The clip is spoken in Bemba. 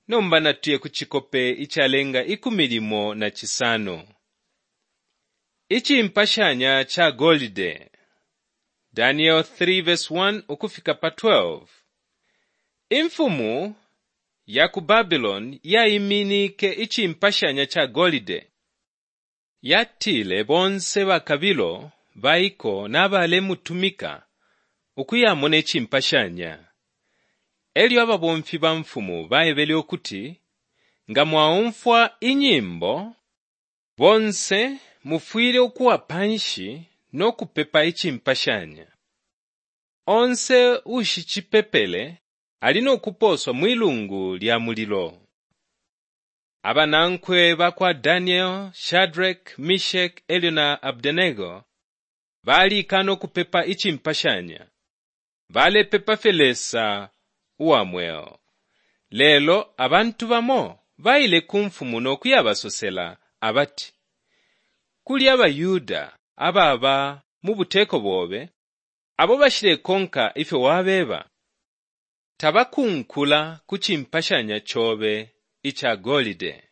Nomba natuye ku cikope icalenga 16. Icimpashanya ca golide. Daniel 3:1 ukufika pa 12. Imfumu ya ku Babiloni yaiminike icimpashanya ca golide. Yatile bonse bakabilo baiko na balemutumika ukuyamona icimpashanya. E lyo ababomfi ba mfumu baebele ukuti, Nga mwaumfwa inyimbo, bonse mufwile ukuwa panshi no kupepa icimpashanya. Onse uushicipepele ali no kupooswa mwi lungu lya mulilo. Abanankwe ba kwa Daniel, Shadraki, Meshaki e lyo na Abednego balikaana ukupepa icimpashanya. Balepepa fye Lesa uwa mweo. Lelo abantu bamo baile ku mfumu no kuyabasosela abati, Kuli abaYuda ababa mu buteko bobe abo bashilekonka ifyo wabeba. Tabakunkula ku cimpashanya cobe ica golide.